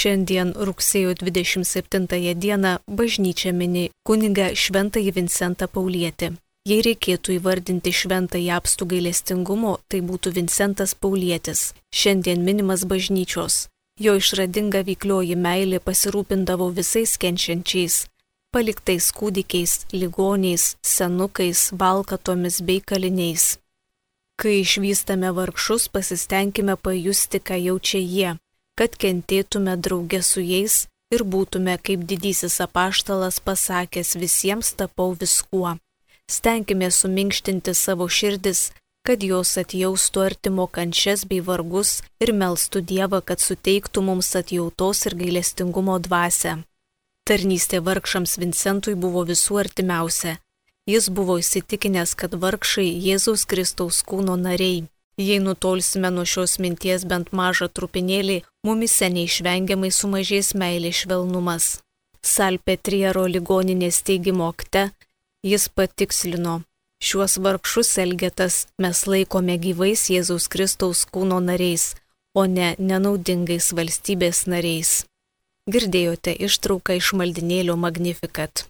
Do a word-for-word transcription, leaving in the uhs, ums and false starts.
Šiandien rugsėjo dvidešimt septintąją dieną bažnyčia mini kunigą Šventąjį Vincentą Paulietį. Jei reikėtų įvardinti šventąjį apstų gailestingumo, tai būtų Vincentas Paulietis, šiandien minimas bažnyčios. Jo išradinga veiklioji meilė pasirūpindavo visais kenčiančiais, paliktais kūdikiais, ligoniais, senukais, valkatomis bei kaliniais. Kai išvystame vargšus, pasistengime pajusti, ką jaučia jie, kad kentėtume drauge su jais ir būtume, kaip didysis apaštalas pasakęs, visiems tapau viskuo. Stenkime suminkštinti savo širdis, kad jos atjaustų artimo kančias bei vargus ir melstų Dievą, kad suteiktų mums atjautos ir gailestingumo dvasią. Tarnystė vargšams Vincentui buvo visų artimiausia. Jis buvo įsitikinęs, kad vargšai Jėzaus Kristaus kūno nariai. Jei nutolsime nuo šios minties bent mažą trupinėlį, mumise neišvengiamai sumažės meilės švelnumas. Salpetriero ligoninės steigimo akte jis patikslino: šiuos vargšus elgetas mes laikome gyvais Jėzaus Kristaus kūno nariais, o ne nenaudingais valstybės nariais. Girdėjote ištrauką iš maldinėlio Magnificat.